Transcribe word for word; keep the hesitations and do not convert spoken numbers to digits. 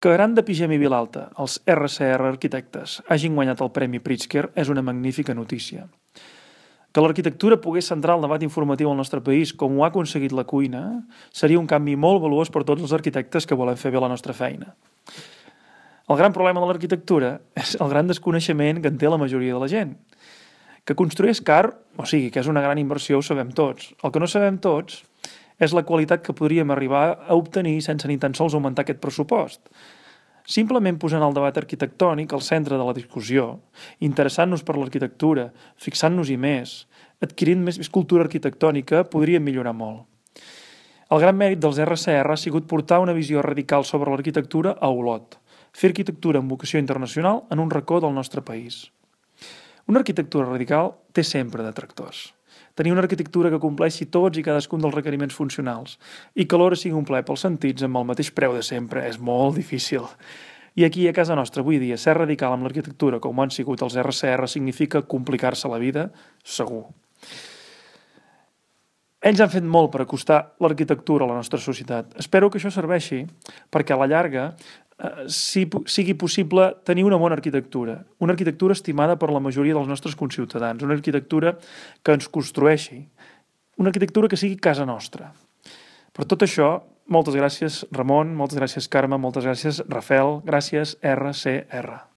Que Gran de Pigem i Vilalta, els erre ce erre Arquitectes, hagin guanyat el Premi Pritzker és una magnífica notícia. Que l'arquitectura pogués centrar el debat informatiu al nostre país com ho ha aconseguit la cuina seria un canvi molt valuós per tots els arquitectes que volem fer bé la nostra feina. El gran problema de l'arquitectura és el gran desconeixement que en té la majoria de la gent. Que construir és car, o sigui, que és una gran inversió, ho sabem tots. El que no sabem tots és la qualitat que podríem arribar a obtenir sense ni tan sols augmentar aquest pressupost. Simplement posant el debat arquitectònic al centre de la discussió, interessant-nos per l'arquitectura, fixant-nos-hi més, adquirint més cultura arquitectònica, podríem millorar molt. El gran mèrit dels erre ce erre ha sigut portar una visió radical sobre l'arquitectura a Olot, fer arquitectura amb vocació internacional en un racó del nostre país. Una arquitectura radical té sempre detractors. Tenir una arquitectura que compleixi tots i cadascun dels requeriments funcionals i que alhora sigui un plaer pels sentits amb el mateix preu de sempre és molt difícil. I aquí, a casa nostra, avui dia, ser radical amb l'arquitectura com ho han sigut els erre ce erre significa complicar-se la vida, segur. Ells han fet molt per acostar l'arquitectura a la nostra societat. Espero que això serveixi perquè a la llarga eh, sigui possible tenir una bona arquitectura, una arquitectura estimada per la majoria dels nostres conciutadans, una arquitectura que ens construeixi, una arquitectura que sigui casa nostra. Per tot això, moltes gràcies Ramon, moltes gràcies Carme, moltes gràcies Rafael, gràcies erre ce erre.